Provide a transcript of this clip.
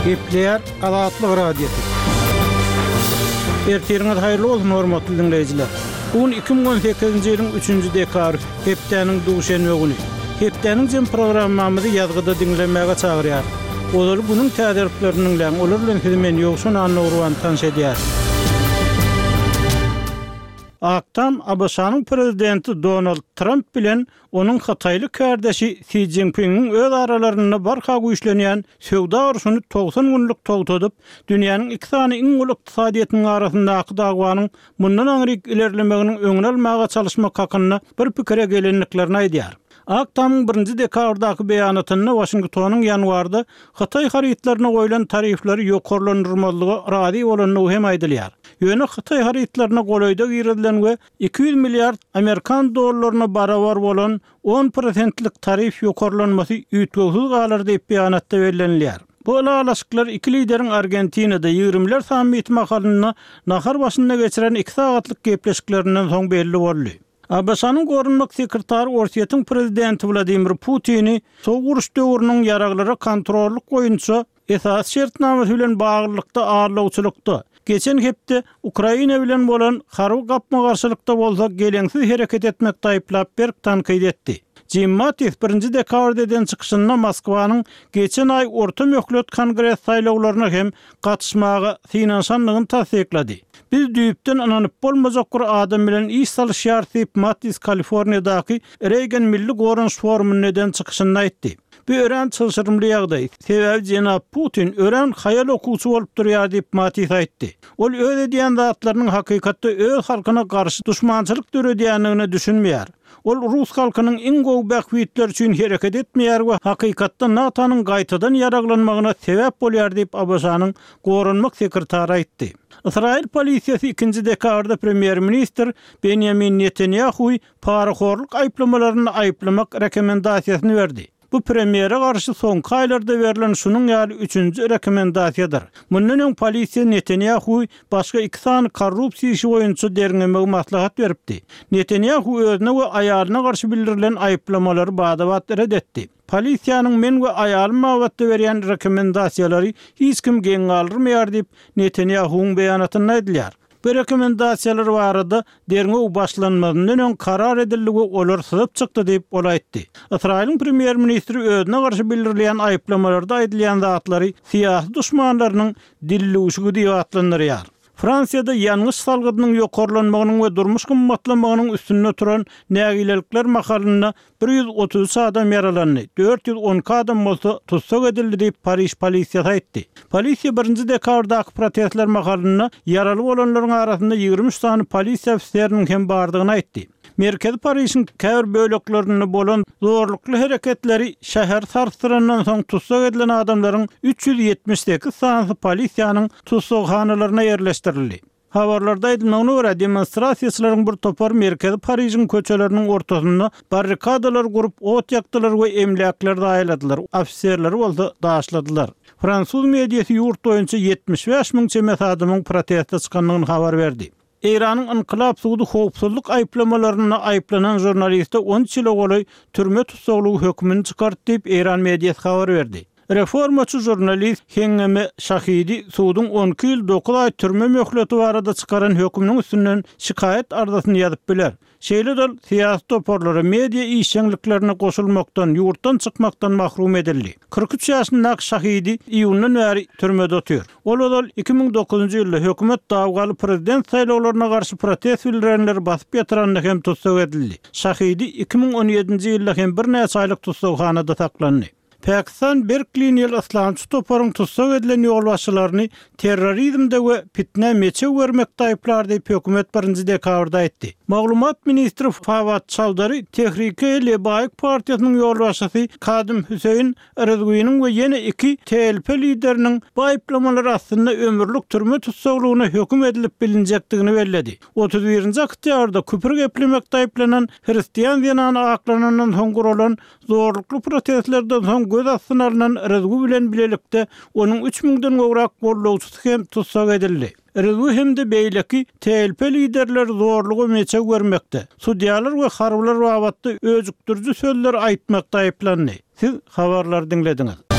Gepleýär Azatlyk Radiosy. Ertiriňiz haýyrly bolsun, hormatly diňleýjiler! Bu gün 2018-nji ýylyň üçünji dekabry, hepdäniň duşenbe güni. Hepdäniň jem programmamyzy ýazgyda diňlemäge çagyrýarys. Ozaly günüň täzeliklerini diňläň, olar bilen sizi men, Ýowşan Annagurban, tanyş edýärin. Ak Tam ABŞ-nyň prezidenti Donald Tramp bilen onuň hytaýly kärdeşi Si Szinpiniň öz aralarynda barha güýçlenýän söwda urşuny 90 günlük togtadyp, dünýäniň iki sany iň uly ykdysadyýetiniň arasyndaky dawanyň mundan aňryk ilerlemeginiň öňüni almaga çalyşmak hakynda bir pikire gelendiklerini aýdýar. Ak Tamyň birinji dekabrdaky beýanatynda Waşingtonyň ýanwarda hytaý harytlaryna goýlan tarifleri ýokarlandyrmazlyga razy bolandygy hem aýdylýar. Ýöne hytaý harytlaryna golaýda girizilen we 200 milliard amerikan dollaryna barabar bolan on prosentlik tarif ýokarlanmasy üýtgewsiz galar diýip beýanatda bellenilýär. Bu ylalaşyklar iki lideriň Argentinada ýigrimiler sammiti mahalynda nahar başynda geçiren iki sagatlyk gepleşiklerinden soň belli boldy. ABŞ-nyň Goranmak sekretary Orsýetiň prezidenti Wladimir Putini Sowuk uruş döwrüniň ýaraglara kontrollyk boýunça esasy şertnamasy bilen baglylykda aldawçylykda, geçen hepde Ukraina bilen bolan harby gapma-garşylykda bolsa geleňsiz hereket etmekde aýyplap berk tankyt etdi. Jim Mattis birinji dekabrda eden çykyşynda Moskwanyň geçen aý orta möhlet Kongres saýlawlaryna hem gatyşmaga synanyşandygyny tassyklady. Biz düýpden ynanyp bolmajak bir adam bilen iş salyşýarys diýip, Mattis Kaliforniýadaky Reýgan Milli goranyş forumynda eden çykyşynda aýtdy. Bu örän çylşyrymly ýagdaý, sebäbi jenap Putin örän haýal okuwçy bolup durýar diýip, Mattis aýtdy. Ol öz edýän zatlarynyň hakykatda öz halkyna garşy duşmançylyk döredýändigine düşünmeýär. Ol rus halkynyň iň gowy bähbitleri üçin hereket etmeýär we hakykatda NATO-nyň gaýtadan ýaraglanmagyna sebäp bolýar diýip, ABŞ-nyň goranmak sekretary aýtdy. Ysraýyl polisiýasy ikinji dekabrda premýer-ministr Benýamin Netanýahuwy parahorluk aýyplamalarynda aýyplamak rekomendasiýasyny berdi. Bu premýere garşy soňky aýlarda berlen şunuň ýaly üçünji rekomendasiýadyr. Mundan öň polisiýa Netanýahuwy başga iki sany korrupsiýa işi boýunça derňemegi maslahat beripdi. Netanýahu özüne we aýalyna garşy bildirilen aýyplamalary bada-bat ret etdi. Polisiýanyň men we aýalym babatda berýän rekomendasiýalary hiç kim geň galdyrmaýar diýip, Netanýahuwyň beýanatynda aýdylýar. Bu rekomendasiýalar barada derňew başlanmazyndan öň karar edildi we olar syzyp çykdy diýip, ol aýtdy. Ysraýylyň premýer-ministri özüne garşy bildirilýän aýyplamalarda aýdylýan zatlary syýasy duşmanlarynyň dildüwşügi diýip atlandyrýar. Fransiýada ýangyç salgydynyň ýokarlanmagynyň we durmuş gymmatlamagynyň üstünde turan nägilelikler mahalynda 133 adam ýaralandy, 412 adam bolsa tussag edildi diýip, Pariž polisiýasy aýtdy. Polisiýa birinji dekabrdaky protestler mahalynda ýaraly bolanlaryň arasynda 23 sany polisiýa ofiseriniň hem bardygyny aýtdy. Merkezi Parižiň käbir böleklerinde bolan zorlukly hereketleri şäheri sarsdyrandan soň tussag edilen adamlaryň 378 sanysy polisiýanyň tussaghanalaryna ýerleşdirildi. Habarlarda aýdylmagyna görä, demonstrasiýaçylaryň bir topary merkezi Parižiň köçeleriniň ortasynda barrikadalar gurup, ot ýakdylar we emläkleri zaýaladylar, ofiserleri bolsa daşladylar. Fransuz mediasy ýurt boýunça 75 müň çemesi adamyň proteste çykandygyny habar berdi. Eýranyň Ynkylap sudy howpsuzlyk aýyplamalarynda aýyplanan žurnaliste 13 ýyla golaý türme tussaglygy hökümini çykardy diýip, eýran mediasy habar berdi. Reformaçy žurnalist Hengeme Şahidi suduň 12 ýyl dokuz aý türme möhleti barada çykaran höküminiň üstünden şikaýat arzasyny ýazyp biler. Şeýle-de ol syýasy toparlara, media işjeňliklerine goşulmakdan, ýurtdan çykmakdan mahrum edildi. 43 ýaşyndaky Şahidi iýundan bäri türmede otyr. Ol ozal 2009-njy ýylda hökümet dawgaly prezident saýlawlaryna garşy protest bildirenleri basyp ýatyranda hem tussag edildi. Şahidi 2017-nji ýylda hem birnäçe aýlyk tussaghanada saklandy. Pakistan berk liniýaly yslamçy toparyň tussag edilen ýolbaşçylaryny terrorizmde we pitnä meçew bermekde aýyplar diýip, hökümet birinji dekabrda aýtdy. Maglumat ministri Fawad Çaudary Tehrike-e-Lebaýk partiýasynyň ýolbaşçysy Kadym Hüseýin Rizwiniň we ýene iki TLP lideriniň bu aýyplamalar astynda ömürlik türme tussaglygyna höküm edilip bilinjekdigini belledi. Otuz birinji oktýabrda küpür geplemekde aýyplanan hristian zenany aklanandan soň guralan Zorlukly protestlerden soň göz astyna alnan Rizwi bilen bilelikde onuň üç müňden gowrak goldawçysy hem tussag edildi. Rizwi hem-de beýleki TLP liderleri zorluga meçew bermekde, sudýalar we harbylar babatda öjükdiriji sözleri aýtmakda aýyplandy. Siz habarlary diňlediňiz.